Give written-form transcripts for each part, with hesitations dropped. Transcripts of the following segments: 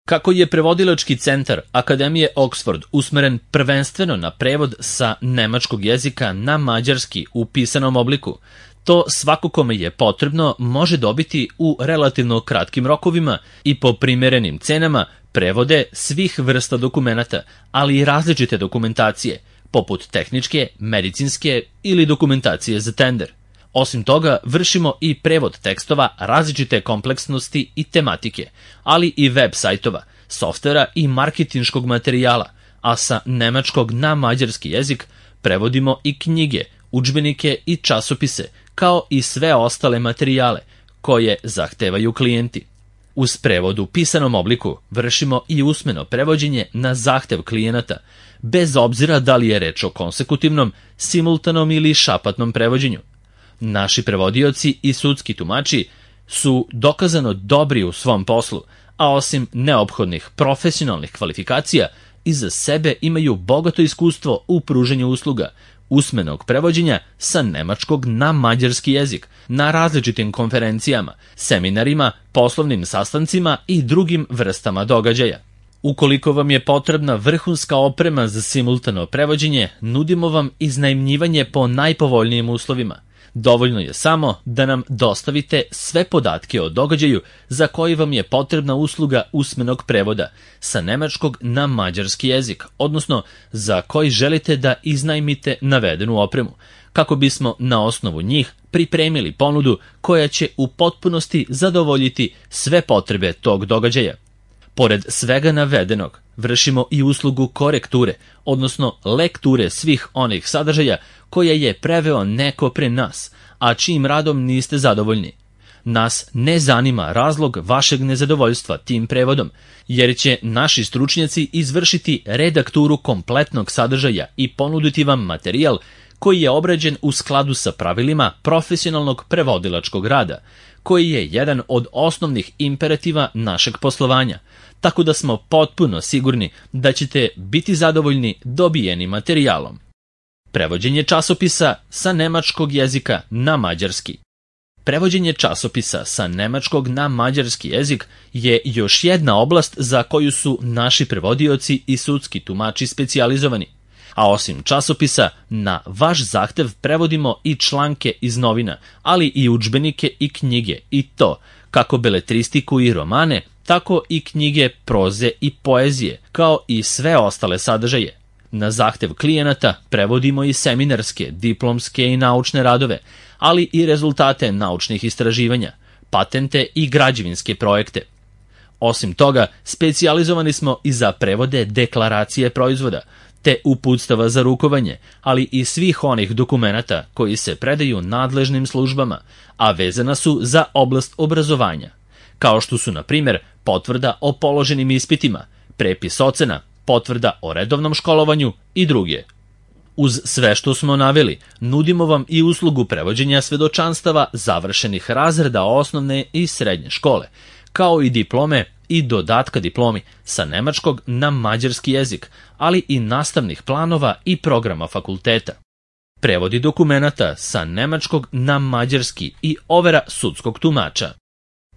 Kako je prevodilački centar Akademije Oxford usmeren prvenstveno na prevod sa nemačkog jezika na mađarski u pisanom obliku, to svako kome je potrebno može dobiti u relativno kratkim rokovima i po primerenim cenama prevode svih vrsta dokumenata, ali i različite dokumentacije, poput tehničke, medicinske ili dokumentacije za tender. Osim toga, vršimo i prevod tekstova različite kompleksnosti i tematike, ali i web sajtova, softvera i marketinškog materijala, a sa nemačkog na mađarski jezik prevodimo i knjige, udžbenike i časopise, kao i sve ostale materijale koje zahtevaju klijenti. Uz prevod u pisanom obliku vršimo i usmeno prevođenje na zahtev klijenata, bez obzira da li je reč o konsekutivnom, simultanom ili šapatnom prevođenju. Naši prevodioci i sudski tumači su dokazano dobri u svom poslu, a osim neophodnih profesionalnih kvalifikacija, iza sebe imaju bogato iskustvo u pruženju usluga, usmenog prevođenja sa nemačkog na mađarski jezik, na različitim konferencijama, seminarima, poslovnim sastancima i drugim vrstama događaja. Ukoliko vam je potrebna vrhunska oprema za simultano prevođenje, nudimo vam iznajmljivanje po najpovoljnijim uslovima. Dovoljno je samo da nam dostavite sve podatke o događaju za koji vam je potrebna usluga usmenog prevoda sa nemačkog na mađarski jezik, odnosno za koji želite da iznajmite navedenu opremu, kako bismo na osnovu njih pripremili ponudu koja će u potpunosti zadovoljiti sve potrebe tog događaja. Pored svega navedenog, vršimo i uslugu korekture, odnosno lekture svih onih sadržaja koje je preveo neko pre nas, a čijim radom niste zadovoljni. Nas ne zanima razlog vašeg nezadovoljstva tim prevodom, jer će naši stručnjaci izvršiti redakturu kompletnog sadržaja i ponuditi vam materijal koji je obrađen u skladu sa pravilima profesionalnog prevodilačkog rada, koji je jedan od osnovnih imperativa našeg poslovanja, tako da smo potpuno sigurni da ćete biti zadovoljni dobijenim materijalom. Prevođenje časopisa sa nemačkog jezika na mađarski. Prevođenje časopisa sa nemačkog na mađarski jezik je još jedna oblast za koju su naši prevodioci i sudski tumači specijalizovani. A osim časopisa, na vaš zahtev prevodimo i članke iz novina, ali i udžbenike i knjige, i to kako beletristiku i romane, tako i knjige proze i poezije, kao i sve ostale sadržaje. Na zahtev klijenata prevodimo i seminarske, diplomske i naučne radove, ali i rezultate naučnih istraživanja, patente i građevinske projekte. Osim toga, specijalizovani smo i za prevode deklaracije proizvoda, te uputstava za rukovanje, ali i svih onih dokumenata koji se predaju nadležnim službama, a vezana su za oblast obrazovanja, kao što su, na primjer, potvrda o položenim ispitima, prepis ocena, potvrda o redovnom školovanju i druge. Uz sve što smo naveli, nudimo vam i uslugu prevođenja svedočanstava završenih razreda osnovne i srednje škole, kao i diplome i dodatka diplomi sa nemačkog na mađarski jezik, ali i nastavnih planova i programa fakulteta. Prevodi dokumenata sa nemačkog na mađarski i overa sudskog tumača.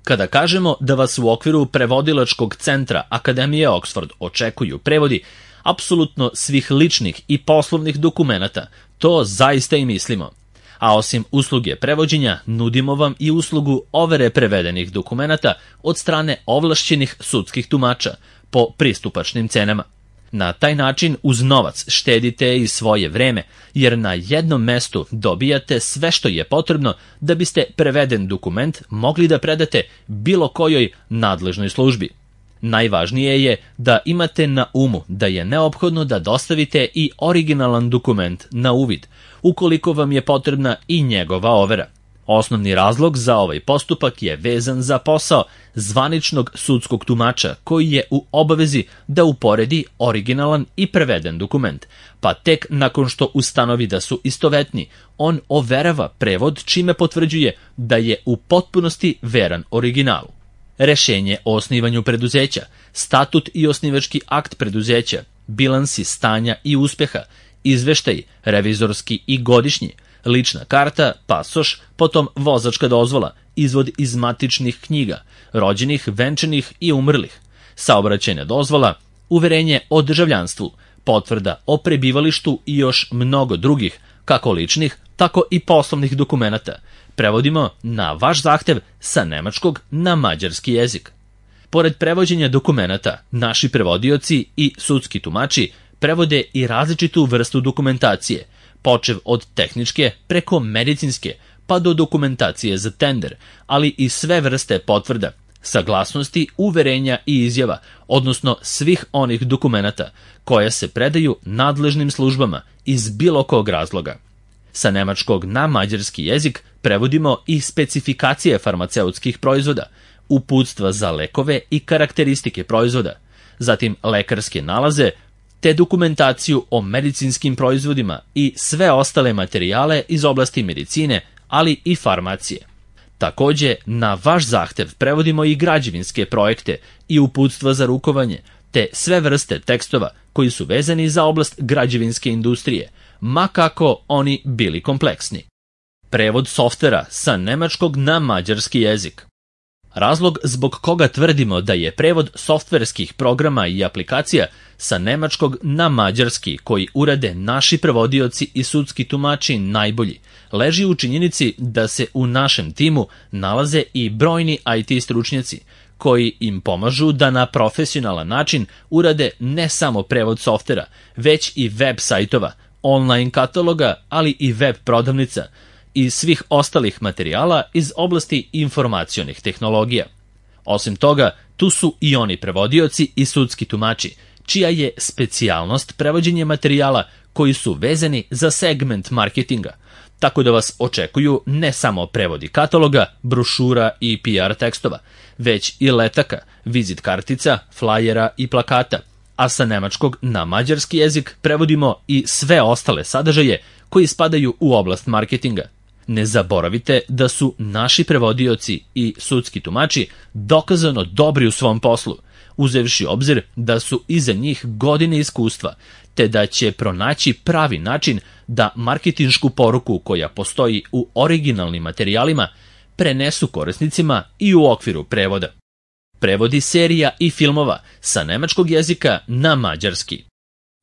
Kada kažemo da vas u okviru prevodilačkog centra Akademije Oxford očekuju prevodi apsolutno svih ličnih i poslovnih dokumenata, to zaista i mislimo. A osim usluge prevođenja, nudimo vam i uslugu overe prevedenih dokumenata od strane ovlašćenih sudskih tumača po pristupačnim cenama. Na taj način uz novac štedite i svoje vreme, jer na jednom mestu dobijate sve što je potrebno da biste preveden dokument mogli da predate bilo kojoj nadležnoj službi. Najvažnije je da imate na umu da je neophodno da dostavite i originalan dokument na uvid, ukoliko vam je potrebna i njegova overa. Osnovni razlog za ovaj postupak je vezan za posao zvaničnog sudskog tumača koji je u obavezi da uporedi originalan i preveden dokument, pa tek nakon što ustanovi da su istovetni, on overava prevod čime potvrđuje da je u potpunosti veran originalu. Rešenje o osnivanju preduzeća, statut i osnivački akt preduzeća, bilansi stanja i uspeha, izveštaj, revizorski i godišnji, lična karta, pasoš, potom vozačka dozvola, izvod iz matičnih knjiga, rođenih, venčanih i umrlih, saobraćajna dozvola, uverenje o državljanstvu, potvrda o prebivalištu i još mnogo drugih, kako ličnih, tako i poslovnih dokumenata. Prevodimo na vaš zahtev sa nemačkog na mađarski jezik. Pored prevođenja dokumenata, naši prevodioci i sudski tumači prevode i različitu vrstu dokumentacije, počev od tehničke preko medicinske, pa do dokumentacije za tender, ali i sve vrste potvrda, saglasnosti, uverenja i izjava, odnosno svih onih dokumenata koje se predaju nadležnim službama iz bilo kog razloga. Sa nemačkog na mađarski jezik prevodimo i specifikacije farmaceutskih proizvoda, uputstva za lekove i karakteristike proizvoda, zatim lekarske nalaze, te dokumentaciju o medicinskim proizvodima i sve ostale materijale iz oblasti medicine, ali i farmacije. Takođe, na vaš zahtev prevodimo i građevinske projekte i uputstva za rukovanje, te sve vrste tekstova koji su vezani za oblast građevinske industrije, ma kako oni bili kompleksni. Prevod softvera sa nemačkog na mađarski jezik. Razlog zbog koga tvrdimo da je prevod softverskih programa i aplikacija sa nemačkog na mađarski koji urade naši prevodioci i sudski tumači najbolji, leži u činjenici da se u našem timu nalaze i brojni IT stručnjaci, koji im pomažu da na profesionalan način urade ne samo prevod softvera, već i web sajtova, online kataloga, ali i web prodavnica i svih ostalih materijala iz oblasti informacionih tehnologija. Osim toga, tu su i oni prevodioci i sudski tumači, čija je specijalnost prevođenje materijala koji su vezani za segment marketinga, tako da vas očekuju ne samo prevodi kataloga, brošura i PR tekstova, već i letaka, vizit kartica, flajera i plakata, a sa nemačkog na mađarski jezik prevodimo i sve ostale sadržaje koji spadaju u oblast marketinga. Ne zaboravite da su naši prevodioci i sudski tumači dokazano dobri u svom poslu, uzevši obzir da su iza njih godine iskustva, te da će pronaći pravi način da marketinšku poruku koja postoji u originalnim materijalima prenesu korisnicima i u okviru prevoda. Prevodi serija i filmova sa nemačkog jezika na mađarski.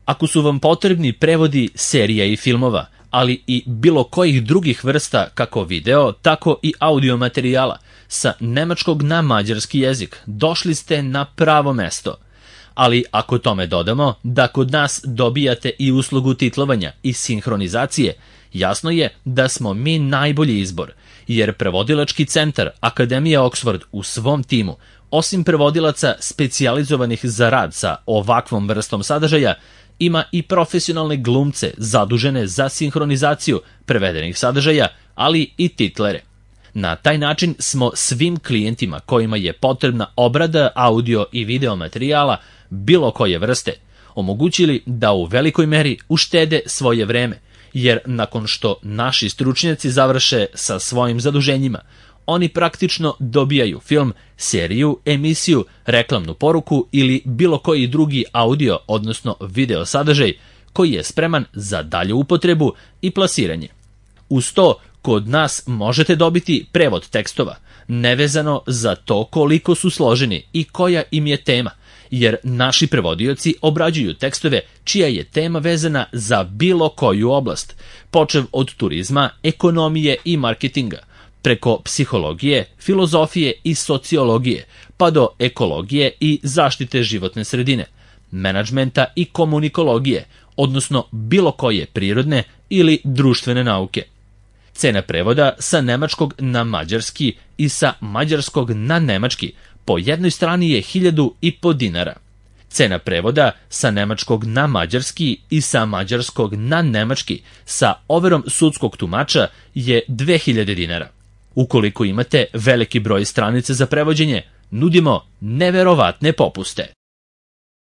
Ako su vam potrebni prevodi serija i filmova, ali i bilo kojih drugih vrsta kako video, tako i audio materijala sa nemačkog na mađarski jezik, došli ste na pravo mesto. Ali ako tome dodamo da kod nas dobijate i uslugu titlovanja i sinhronizacije, jasno je da smo mi najbolji izbor, jer prevodilački centar Akademije Oxford u svom timu, osim prevodilaca specijalizovanih za rad sa ovakvom vrstom sadržaja, ima i profesionalne glumce zadužene za sinhronizaciju prevedenih sadržaja, ali i titlere. Na taj način smo svim klijentima kojima je potrebna obrada audio i video materijala bilo koje vrste omogućili da u velikoj meri uštede svoje vreme, jer nakon što naši stručnjaci završe sa svojim zaduženjima, oni praktično dobijaju film, seriju, emisiju, reklamnu poruku ili bilo koji drugi audio, odnosno video sadržaj koji je spreman za dalju upotrebu i plasiranje. Uz to, kod nas možete dobiti prevod tekstova, nevezano za to koliko su složeni i koja im je tema, jer naši prevodioci obrađuju tekstove čija je tema vezana za bilo koju oblast, počev od turizma, ekonomije i marketinga, preko psihologije, filozofije i sociologije, pa do ekologije i zaštite životne sredine, menadžmenta i komunikologije, odnosno bilo koje prirodne ili društvene nauke. Cena prevoda sa nemačkog na mađarski i sa mađarskog na nemački po jednoj strani je 1.500 dinara. Cena prevoda sa nemačkog na mađarski i sa mađarskog na nemački sa overom sudskog tumača je 2.000 dinara. Ukoliko imate veliki broj stranica za prevođenje, nudimo neverovatne popuste.